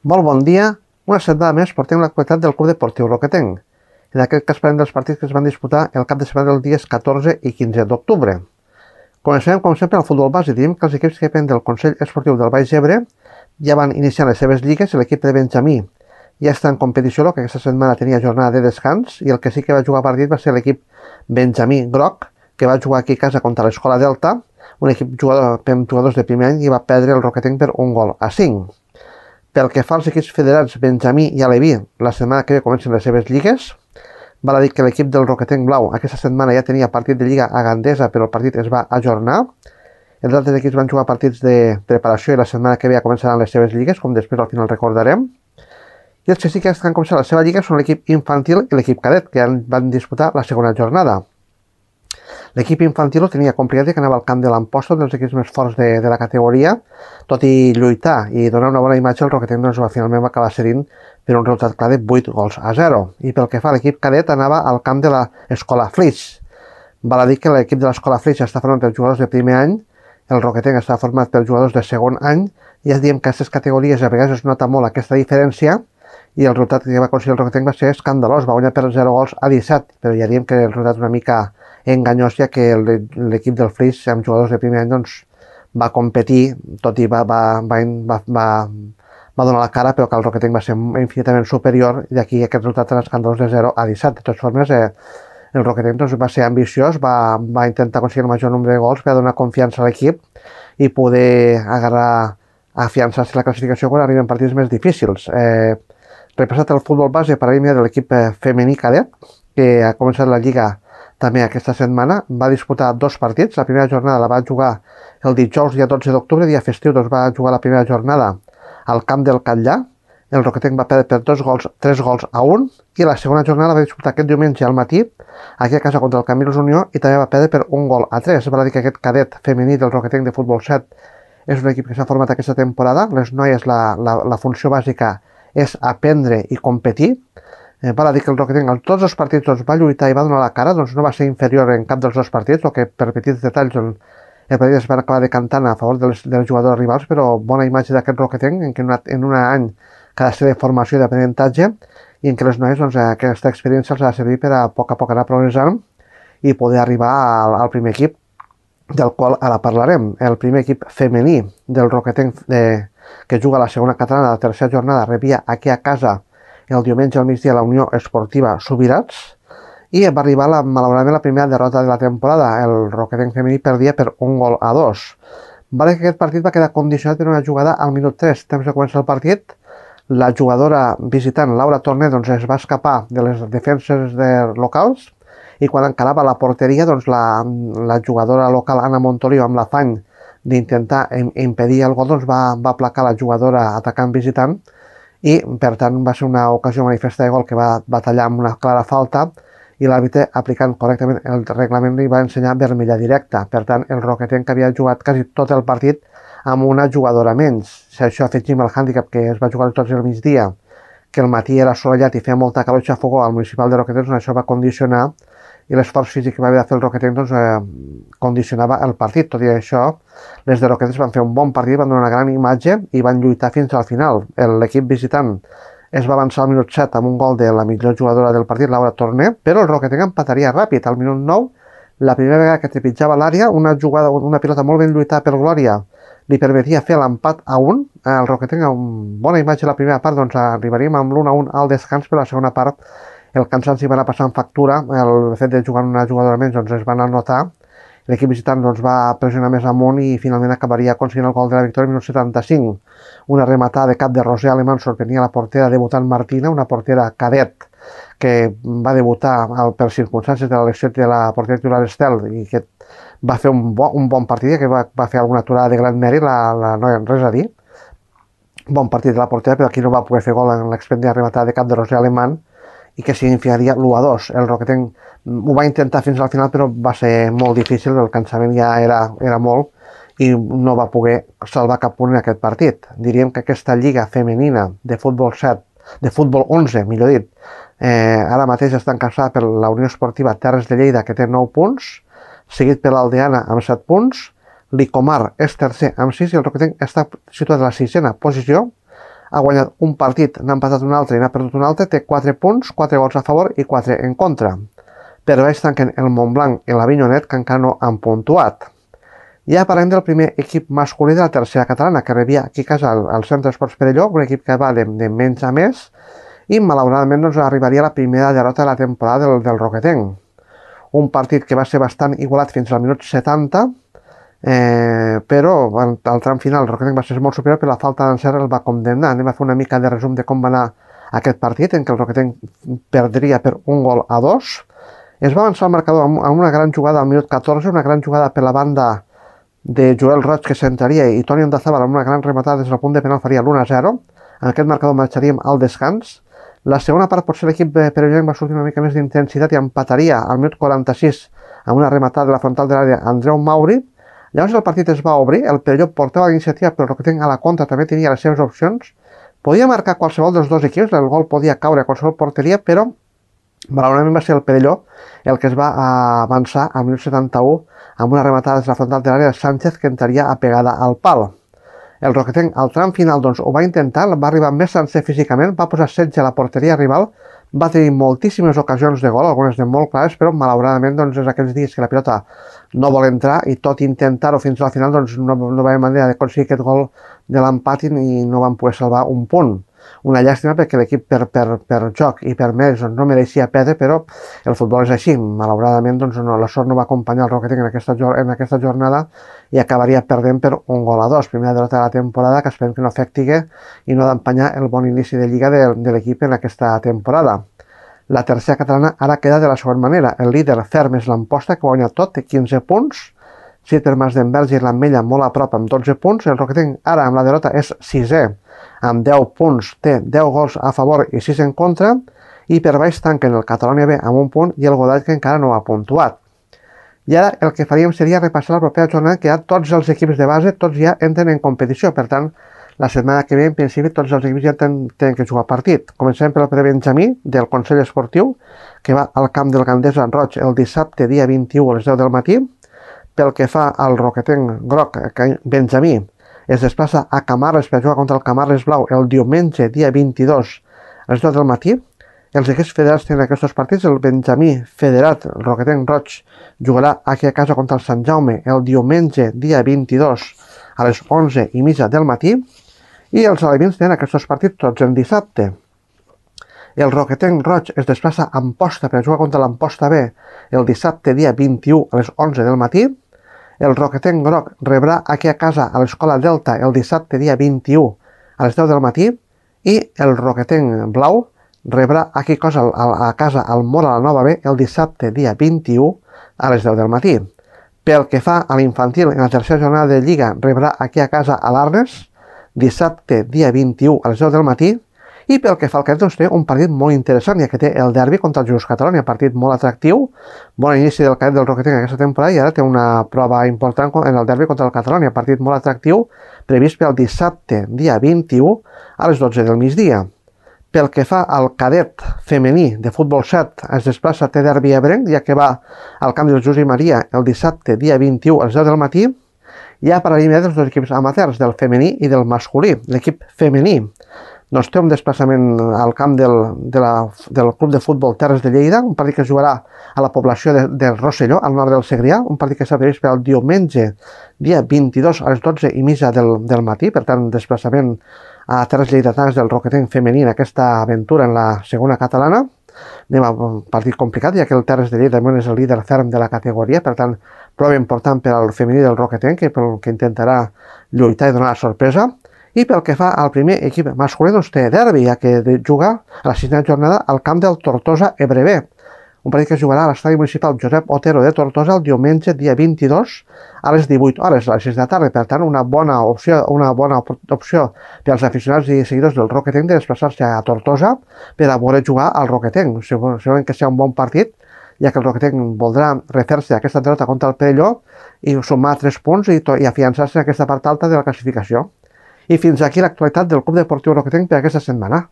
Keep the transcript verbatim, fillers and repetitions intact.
Molt bon dia. Una setmana més portem l'actualitat del Club Deportiu Roquetenc. En aquest cas parlem dels partits que es van disputar el cap de setmana dels dies catorze i quinze d'octubre. Començarem, com sempre, al futbol base. Diem que els equips que depenen del Consell Esportiu del Baix Ebre ja van iniciar les seves lligues. L'equip de Benjamí ja està en competició, que aquesta setmana tenia jornada de descans, i el que sí que va jugar partit va ser l'equip Benjamí Groc, que va jugar aquí a casa contra l'Escola Delta, un equip jugador, amb jugadors de primer any, i va perdre el Roquetenc per un gol a cinc. Pel que fa als equips federats Benjamí i Aleví, la setmana que ve comencen les seves lligues. Val a dir que l'equip del Roquetenc Blau aquesta setmana ja tenia partit de Lliga a Gandesa, però el partit es va ajornar. Els altres equips van jugar partits de preparació i la setmana que ve ja començaran les seves lligues, com després al final recordarem. I els que sí que han començat la seva lliga són l'equip infantil i l'equip cadet, que van disputar la segona jornada. L'equip infantil ho tenia complicat, que anava al camp de l'Amposta, un dels equips més forts de, de la categoria. Tot i lluitar i donar una bona imatge, el Roquetenc doncs, finalment va acabar cedint per un resultat clar de vuit gols a zero. I pel que fa a l'equip cadet, anava al camp de l'Escola Flix. Val a dir que l'equip de l'Escola Flix està format per jugadors de primer any, el Roquetenc està format per jugadors de segon any, i ja diem que a aquestes categories a vegades es nota molt aquesta diferència, i el resultat que va aconseguir el Roquetenc va ser escandalós, va guanyar per zero gols a disset, però ja diem que el resultat una mica enganyós, ja que l'equip del Flix amb jugadors de primer any doncs, va competir, tot i va, va, va, va, va, va donar la cara, però que el Roquetenc va ser infinitament superior, i d'aquí aquest resultat en escandalós de zero a disset. De totes formes, eh, el Roquetenc doncs, va ser ambiciós, va, va intentar aconseguir el major nombre de gols per donar confiança a l'equip i poder agarrar, afiançar-se la classificació quan arriben partits més difícils. Eh, repassat el futbol base, parlarem de l'equip femení cadet, que ha començat la Lliga també aquesta setmana. Va disputar dos partits. La primera jornada la va jugar el dijous, dia dotze d'octubre, dia festiu, doncs va jugar la primera jornada al camp del Catllà. El Roquetenc va perdre per dos gols, tres gols a un, i la segona jornada va disputar aquest diumenge al matí, aquí a casa contra el Camils Unió, i també va perdre per un gol a tres. Val a dir que aquest cadet femení del Roquetenc de futbol set és un equip que s'ha format aquesta temporada. Les noies, la, la, la funció bàsica és aprendre i competir. Eh, val a dir que el Roquetenc en tots els partits doncs, va lluitar i va donar la cara, doncs no va ser inferior en cap dels dos partits, o que per petits detalls doncs, el partit es va acabar decantant a favor dels, dels jugadors rivals, però bona imatge d'aquest Roquetenc, en què en, una, en un any que ha de ser de formació i d'aprenentatge, i en què les noies doncs, aquesta experiència els ha de servir per a poc a poc anar progressant i poder arribar al, al primer equip, del qual ara parlarem. El primer equip femení del Roquetenc de, que juga a la segona catalana, la tercera jornada, rebia aquí a casa el diumenge al migdia la Unió Esportiva Subirats, i va arribar la, malauradament la primera derrota de la temporada. El Roquetenc femení perdia per un gol a dos. Vale que aquest partit va quedar condicionat per una jugada al minut tres, temps de començar el partit. La jugadora visitant, Laura Torner, doncs, es va escapar de les defenses de locals, i quan encarava la porteria, doncs, la, la jugadora local, Anna Montoliu, amb l'afany d'intentar impedir el gol, doncs, va, va placar la jugadora atacant visitant, i per tant va ser una ocasió manifesta de gol que va, va tallar amb una clara falta, i l'àrbitre, aplicant correctament el reglament, li va ensenyar vermella directa. Per tant, el Roquetenc, que havia jugat quasi tot el partit amb una jugadora menys. Si això afegim el hàndicap que es va jugar tots el migdia, que el matí era assolellat i feia molta calor i xafogó al municipal de Roquetenc, doncs això va condicionar, i l'esforç físic que va haver de fer el Roquetenc doncs, eh, condicionava el partit. Tot i això, les de Roquetenc van fer un bon partit, van donar una gran imatge i van lluitar fins al final. L'equip visitant es va avançar al minut set amb un gol de la millor jugadora del partit, Laura Torner, però el Roquetenc empataria ràpid. Al minut nou, la primera vegada que trepitjava l'àrea, una jugada, una pilota molt ben lluitada per Glòria li permetia fer l'empat a un. El Roquetenc, amb bona imatge la primera part, doncs arribaríem amb l'un a un al descans, però la segona part el cansanci va anar passant factura. El fet de jugar una jugadora menys doncs, es va anar a notar. L'equip visitant doncs, va pressionar més amunt i finalment acabaria aconseguint el gol de la victòria al minut setanta-cinc. Una rematada de cap de Roser Alemán sorprenia la portera debutant Martina, una portera cadet que va debutar per circumstàncies de l'elecció de la portera titular Estel, i que va fer un, bo, un bon partit, que va, va fer alguna aturada de gran mèrit, la, la noia, res a dir. Bon partit de la portera, però aquí no va poder fer gol en l'expendida rematada de cap de Roser Alemán, i que significaria l'u a dos. El Roquetenc ho va intentar fins al final, però va ser molt difícil, el cansament ja era, era molt, i no va poder salvar cap punt en aquest partit. Diríem que aquesta lliga femenina de futbol set, de futbol onze, millor dit, eh, ara mateix està encaixada per la Unió Esportiva Terres de Lleida, que té nou punts, seguit per l'Aldeana amb set punts, l'Icomar és tercer amb sis, i el Roquetenc està situat a la sisena posició ha guanyat un partit, n'ha empatat un altre i n'ha perdut un altre, té quatre punts, quatre gols a favor i quatre en contra. Per baix tanquen el Montblanc i l'Avinyonet, que encara no han puntuat. Ja parlem del primer equip masculí de la tercera catalana, que rebia aquí a casa el, el Centre Esports Perelló, un equip que va de, de menys a més, i malauradament doncs, arribaria la primera derrota de la temporada del, del Roquetenc. Un partit que va ser bastant igualat fins al minut setanta, eh, però al, al tram final el Roquetenc va ser molt superior, però la falta d'encert el va condemnar. Anem a fer una mica de resum de com va anar aquest partit, en què el Roquetenc perdria per un gol a dos. Es va avançar el marcador amb una gran jugada al minut catorze, una gran jugada per la banda de Joel Roig, que centraria, i Toni Ondazabal amb una gran rematada des del punt de penal faria l'u a zero. En aquest marcador marxaríem al descans. La segona part potser l'equip perellonenc va sortir una mica més d'intensitat i empataria al minut quaranta-sis amb una rematada de la frontal de l'àrea Andreu Mauri. Llavors el partit es va obrir, el Perelló portava l'iniciativa, però el Roquetenc a la contra també tenia les seves opcions. Podia marcar qualsevol dels dos equips, el gol podia caure a qualsevol porteria, però malauradament va ser el Perelló el que es va avançar al minut setanta-u amb una rematada des de la frontal de l'àrea de Sánchez, que entraria apegada al pal. El Roquetenc al tram final doncs, ho va intentar, va arribar més sencer físicament, va posar setge a la porteria rival, va tenir moltíssimes ocasions de gol, algunes de molt clares, però malauradament doncs, és aquells dies que la pilota no vol entrar i tot intentar-ho fins al final doncs, no, no va haver manera d'aconseguir aquest gol de l'empat i no van poder salvar un punt. Una llàstima perquè l'equip per, per, per joc i per més doncs, no mereixia perdre, però el futbol és així. Malauradament doncs, no, la sort no va acompanyar el Roquetenc en aquesta, en aquesta jornada i acabaria perdent per un gol a dos. Primera derrota de la temporada, que esperem que no afecti i no d'empanyar el bon inici de lliga de, de l'equip en aquesta temporada. La tercera catalana ara queda de la següent manera. El líder ferm és l'Amposta, que guanya tot, té quinze punts. Sitter Masdenverge i l'Ametlla molt a prop amb dotze punts. El Roquetenc ara amb la derrota és sisè amb deu punts, té deu gols a favor i sis en contra, i per baix tanquen el Catalonia B amb un punt i el Godall, que encara no ha puntuat. I ara el que faríem seria repassar la propera jornada, que ja tots els equips de base, tots ja entren en competició, per tant, la setmana que ve, en principi, tots els equips ja tenen, tenen que jugar partit. Comencem pel prebenjamí del Consell Esportiu, que va al camp del Gandesa Roig el dissabte, dia vint-i-u, a les deu del matí. Pel que fa al Roquetenc Groc Benjamí, es desplaça a Camarles per jugar contra el Camarles Blau el diumenge, dia vint-i-dos, a les deu del matí. Els equips federats tenen aquests partits. El Benjamí federat, el Roquetenc Roig, jugarà aquí a casa contra el Sant Jaume el diumenge, dia vint-i-dos, a les onze i mitja del matí. I els alevins tenen aquests partits tots en dissabte. El Roquetenc Roig es desplaça a Amposta per jugar contra l'Amposta B el dissabte, dia vint-i-u, a les onze del matí. El Roquetenc Groc rebrà aquí a casa a l'Escola Delta el dissabte, dia vint-i-u, a les deu del matí. I el Roquetenc Blau rebrà aquí a casa al Mora la Nova B el dissabte, dia vint-i-u, a les deu del matí. Pel que fa a l'infantil, en la tercera jornada de Lliga rebrà aquí a casa a l'Arnes dissabte, dia vint-i-u, a les deu del matí. I pel que fa al cadet, doncs té un partit molt interessant, ja que té el derbi contra el Just Catalonia, partit molt atractiu, bon inici del cadet del Roquetenc aquesta temporada, i ara té una prova important en el derbi contra el Catalonia, partit molt atractiu, previst pel dissabte, dia vint-i-u, a les dotze del migdia. Pel que fa al cadet femení de futbol set, es desplaça, té derbi ebrenc, ja que va al camp del Josep Maria el dissabte, dia vint-i-u, a les deu del matí. Ja parlaríem dels dos equips amateurs, del femení i del masculí. L'equip femení doncs té un desplaçament al camp del, de la, del Club de Futbol Terres de Lleida, un partit que es jugarà a la població de, de Rosselló, al nord del Segrià, un partit que s'ha previst per al diumenge, dia vint-i-dos, a les dotze i mitja del, del matí, per tant, desplaçament a Terres Lleidatanes del Roquetenc femení en aquesta aventura en la segona catalana. Anem a un partit complicat, ja que el Terres de Lleida és el líder ferm de la categoria, per tant, prova important per al femení del Roquetenc, que, que intentarà lluitar i donar la sorpresa. I pel que fa al primer equip masculí, doncs té derbi, ja que juga a la sisena jornada al camp del Tortosa Ebrevé. Un partit que es jugarà a l'estadi municipal Josep Otero de Tortosa el diumenge, dia vint-i-dos, a les divuit hores, a les sis de la tarda. Per tant, una bona opció, una bona opció per als aficionats i seguidors del Roquetenc de desplaçar-se a Tortosa per a veure jugar al Roquetenc. Segurament que serà un bon partit, ja que el Roquetenc voldrà refer-se aquesta derrota contra el Perelló i sumar tres punts i, i afiançar-se en aquesta part alta de la classificació. I fins aquí l'actualitat del Club Deportiu Roquetenc per aquesta setmana.